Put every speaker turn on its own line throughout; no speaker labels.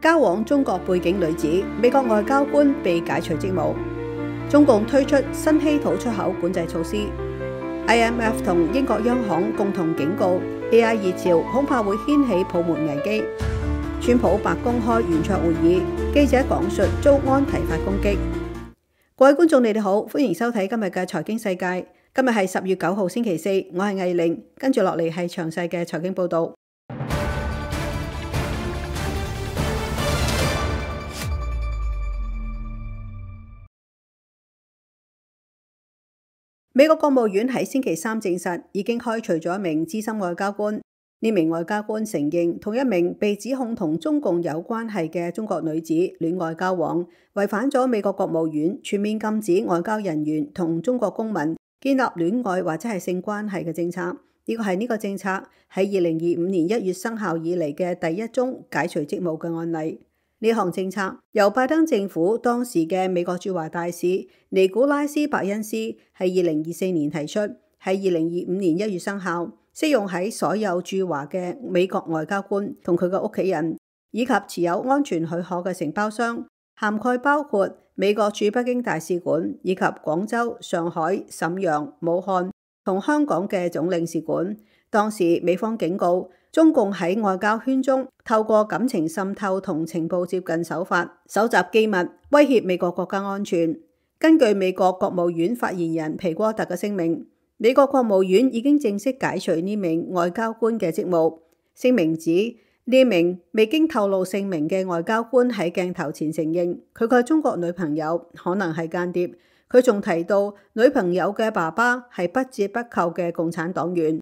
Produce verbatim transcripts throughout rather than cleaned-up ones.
交往中國背景女子美國外交官被解除職務。中共推出新稀土出口管制措施。I M F 同英國央行共同警告 A I 熱潮恐怕會掀起泡沫危機。川普白宮開圓桌會議，記者講述遭安提法攻擊。各位觀眾，你哋好，歡迎收睇今日嘅財經世界。今日係十月九號星期四，我係藝玲，跟住落嚟係詳細嘅財經報道。美國國務院喺星期三證實，已經開除咗一名資深外交官。呢名外交官承認同一名被指控同中共有關係嘅中國女子戀愛交往，違反咗美國國務院全面禁止外交人員同中國公民建立戀愛或者係性關係嘅政策。呢個係呢個政策喺二零二五年一月生效以嚟嘅第一宗解除職務嘅案例。呢項政策由拜登政府當時嘅美國駐華大使尼古拉斯伯恩斯喺二零二四年提出，喺二零二五年一月生效，適用喺所有駐華嘅美國外交官同佢嘅屋企人，以及持有安全許可嘅承包商，涵蓋包括美國駐北京大使館以及廣州、上海、瀋陽、武漢同香港嘅總領事館。當時美方警告，中共喺外交圈中透過感情滲透同情報接近手法，搜集機密，威脅美國國家安全。根據美國國務院發言人皮戈特嘅聲明，美國國務院已經正式解除呢名外交官嘅職務。聲明指，呢名未經透露姓名嘅外交官喺鏡頭前承認，佢嘅中國女朋友可能係間諜。佢仲提到，女朋友嘅爸爸係不折不扣嘅共產黨員。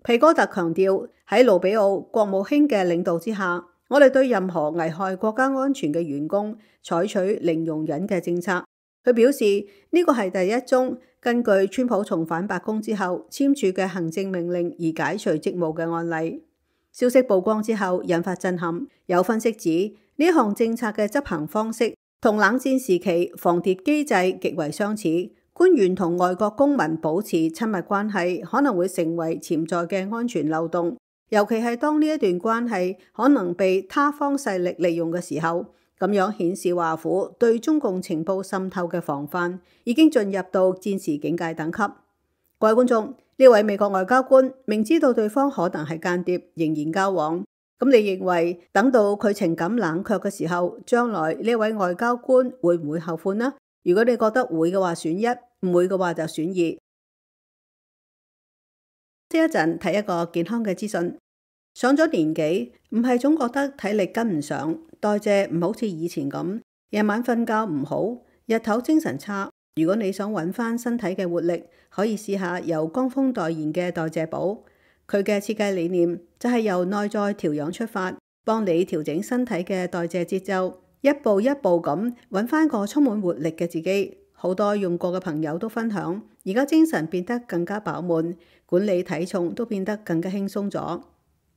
皮戈特強調，喺盧比奧國務卿嘅領導之下，我哋對任何危害國家安全嘅員工採取零容忍嘅政策。佢表示，呢個係第一宗根據川普重返白宮之後簽署嘅行政命令而解除職務嘅案例。消息曝光之後引發震撼，有分析指呢項政策嘅執行方式同冷戰時期防諜機制極為相似。官員同外國公民保持親密關係可能會成為潛在嘅安全漏洞，尤其係當呢一段關係可能被他方勢力利用嘅時候。咁樣顯示華府對中共情報滲透嘅防範已經進入到戰時警戒等級。各位觀眾，呢位美國外交官明知道對方可能係間諜，仍然交往。咁你認為等到佢情感冷卻嘅時候，將來呢位外交官會唔會後悔呢？如果你覺得會嘅話，選一；唔會嘅話就選二。呢一陣睇一個健康嘅資訊。上咗年紀，唔係總覺得體力跟唔上，代謝唔好似以前咁，夜晚瞓覺唔好，日頭精神差。如果你想揾翻身體嘅活力，可以試下由江峰代言嘅代謝寶。佢嘅設計理念就係由內在調養出發，幫你調整身體嘅代謝節奏，一步一步咁揾翻個充滿活力嘅自己。好多用過嘅朋友都分享，而家精神變得更加飽滿，管理體重都變得更加輕鬆咗。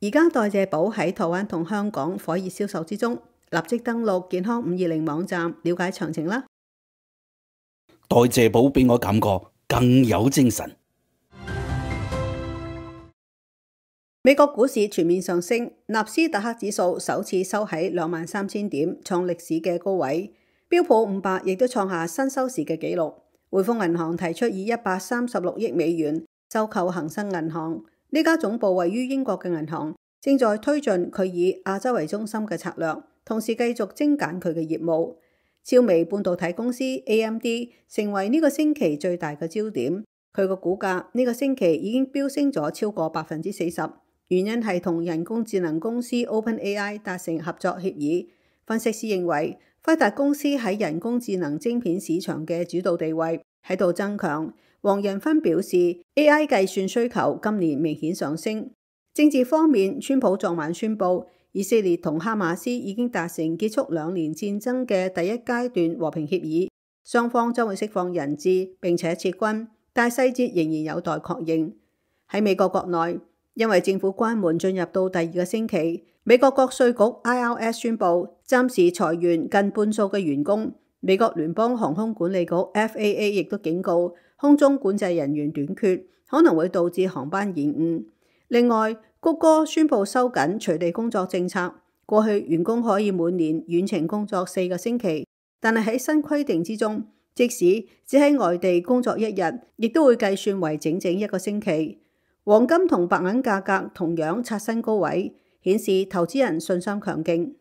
而家代謝寶喺台灣同香港火熱銷售之中，立即登錄健康五二零網站了解詳情啦。
代謝寶俾我感覺更有精神。
美國股市全面上升，納斯達克指數首次收喺兩萬三千點，創歷史嘅高位。標普五百亦都創下新收市嘅紀錄。匯豐銀行提出以一百三十六億美元收購恒生銀行。呢家總部位於英國嘅銀行正在推進佢以亞洲為中心嘅策略，同時繼續精簡佢嘅業務。超微半導體公司 A M D 成為呢個星期最大嘅焦點，佢個股價呢個星期已經飆升咗超過百分之四十，原因係同人工智能公司 OpenAI 達成合作協議。分析師認為，輝達公司喺人工智能晶片市場嘅主導地位喺度增強。黃仁勳表示 A I 計算需求今年明顯上升。政治方面，川普昨晚宣布以色列同哈馬斯已經達成結束兩年戰爭嘅第一階段和平協議，雙方將會釋放人質並且撤軍，但細節仍然有待確認。喺美國國內，因為政府關門進入到第二個星期，美國國稅局 I R S 宣布暫時裁員近半數嘅員工。美國聯邦航空管理局 F A A 亦都警告，空中管制人員短缺可能會導致航班延誤。另外，谷歌宣布收緊隨地工作政策，過去員工可以每年遠程工作四個星期，但係喺新規定之中，即使只喺外地工作一日，亦都會計算為整整一個星期。黃金同白銀價格同樣刷新高位，顯示投資人信心強勁。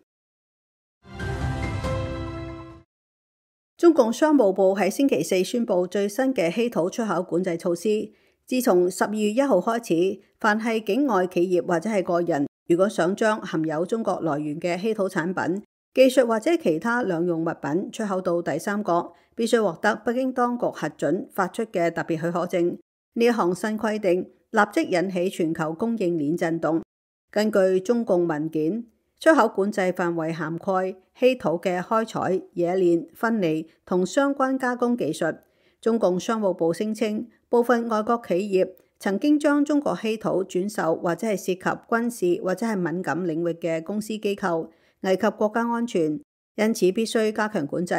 中共商務部喺星期四宣布最新嘅稀土出口管制措施。自從十二月一號開始，凡係境外企業或者係個人，如果想將含有中國來源嘅稀土產品、技術或者其他兩用物品出口到第三國，必須獲得北京當局核准發出嘅特別許可證。呢一項新規定立即引起全球供應鏈震動。根據中共文件，出口管制範圍涵蓋稀土嘅開採、冶煉、分離同相關加工技術。中共商務部聲稱，部分外國企業曾經將中國稀土轉售或者係涉及軍事或者係敏感領域嘅公司機構，危及國家安全，因此必須加強管制。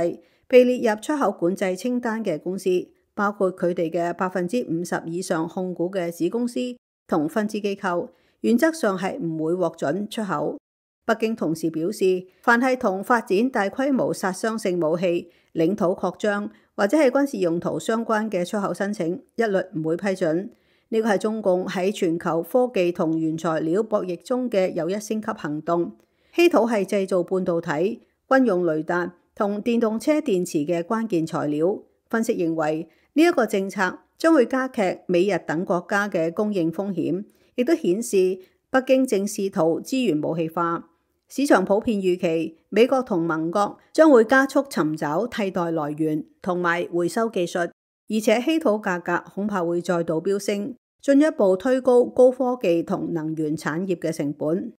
被列入出口管制清單嘅公司，包括佢哋嘅百分之五十以上控股嘅子公司同分支機構，原則上係唔會獲准出口。北京同時表示，凡係同發展大規模殺傷性武器、領土擴張或者係軍事用途相關嘅出口申請，一律唔會批准。呢個係中共喺全球科技同原材料博弈中嘅又一升級行動。稀土係製造半導體、軍用雷達同電動車電池嘅關鍵材料。分析認為，呢一個政策將會加劇美日等國家嘅供應風險，亦都顯示北京正試圖資源武器化。市場普遍預期，美國同盟國將會加速尋找替代來源同埋回收技術，而且稀土價格恐怕會再度飆升，進一步推高高科技同能源產業嘅成本。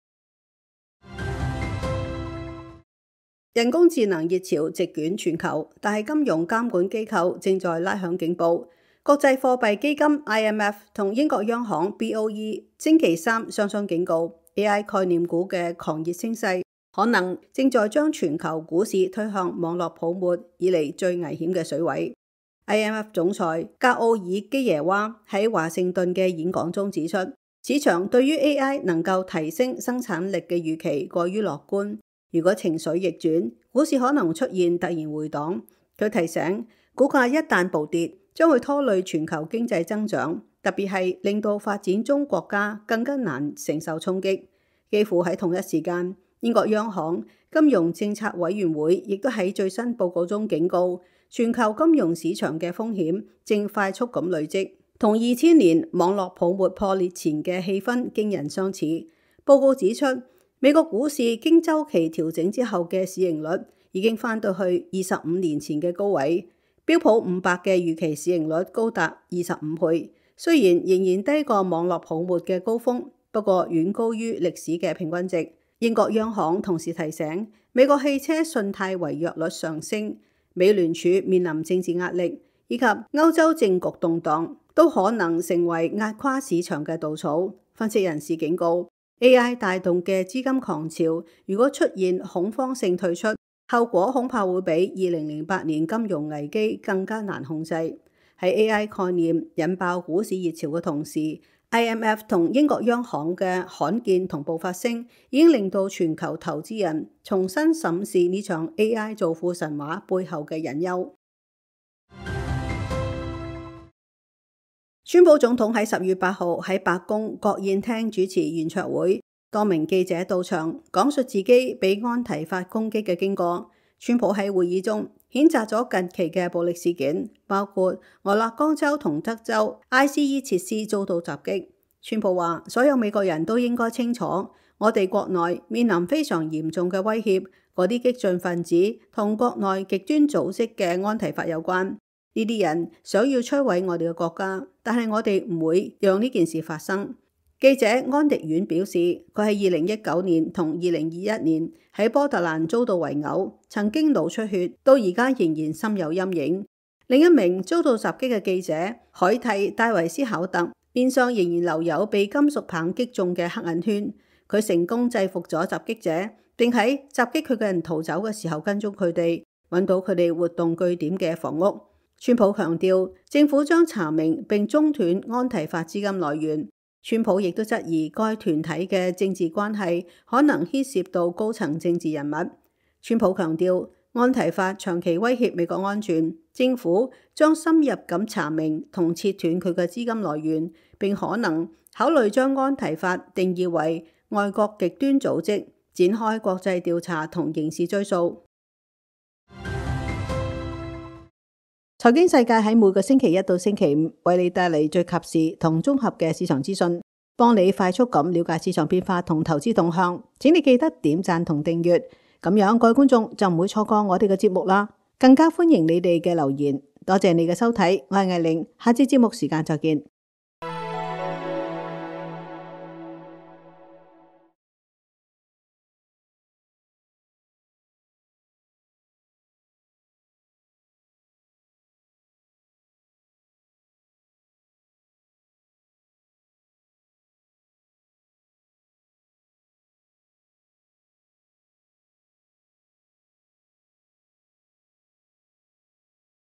人工智能熱潮席捲全球，但係金融監管機構正在拉響警報。國際貨幣基金 I M F 同英國央行 B O E 星期三雙雙警告，A I 概念股嘅狂熱升勢可能正在將全球股市推向網絡泡沫以嚟最危險嘅水位。I M F 總裁格奧爾基耶娃喺華盛頓嘅演講中指出，市場對於 A I 能夠提升生產力嘅預期過於樂觀。如果情緒逆轉，股市可能出現突然回檔。佢提醒，股價一旦暴跌，將會拖累全球經濟增長，特別係令到發展中國家更加難承受衝擊。幾乎喺同一時間，英國央行金融政策委員會亦都喺最新報告中警告，全球金融市場嘅風險正快速咁累積，同二千年網絡泡沫破裂前嘅氣氛驚人相似。報告指出，美國股市經周期調整之後嘅市盈率已經翻到去二十五年前嘅高位，標普五百嘅預期市盈率高達二十五倍，雖然仍然低過網絡泡沫嘅高峰，不過遠高於歷史嘅平均值。英國央行同時提醒，美國汽車信貸違約率上升，美聯儲面臨政治壓力，以及歐洲政局動盪，都可能成為壓垮市場嘅稻草。分析人士警告，A I 帶動嘅資金狂潮，如果出現恐慌性退出，後果恐怕會比二零零八年金融危機更加難控制。喺 A I 概念引爆股市熱潮嘅同時， I M F 同英國央行嘅罕見同步發聲，已經令到全球投資人重新審視呢場 A I 造富神話背後嘅隱憂。川普總統喺十月八號喺白宮國宴廳主持圓桌會，多名記者到場講述自己被安提法攻擊嘅經過。川普喺會議中譴責咗近期嘅暴力事件，包括俄勒岡州同德州 I C E 設施遭到襲擊。川普話：所有美國人都應該清楚，我哋國內面臨非常嚴重嘅威脅，嗰啲激進分子同國內極端組織嘅安提法有關。呢啲人想要摧毀我哋嘅國家，但係我哋唔會讓呢件事發生。記者安迪遠表示，佢喺二零一九年同二零二一年喺波特蘭遭到圍毆，曾經腦出血，到而家仍然心有陰影。另一名遭到襲擊嘅記者海蒂戴維斯考特，面上仍然留有被金屬棒擊中嘅黑眼圈。佢成功制服咗襲擊者，並喺襲擊佢嘅人逃走嘅時候跟蹤佢哋，揾到佢哋活動據點嘅房屋。川普強調，政府將查明並中斷安提法資金來源。川普亦都質疑該團體嘅政治關係可能牽涉到高層政治人物。川普強調，安提法長期威脅美國安全，政府將深入咁查明同切斷佢嘅資金來源，並可能考慮將安提法定義為外國極端組織，展開國際調查同刑事追訴。財經世界喺每個星期一到星期五為你帶嚟最及時同綜合嘅市場資訊，幫你快速咁了解市場變化同投資動向。請你記得點讚同訂閱，咁樣各位觀眾就唔會錯過我哋嘅節目啦。更加歡迎你哋嘅留言。多謝你嘅收睇，我係艾玲，下次節目時間再見。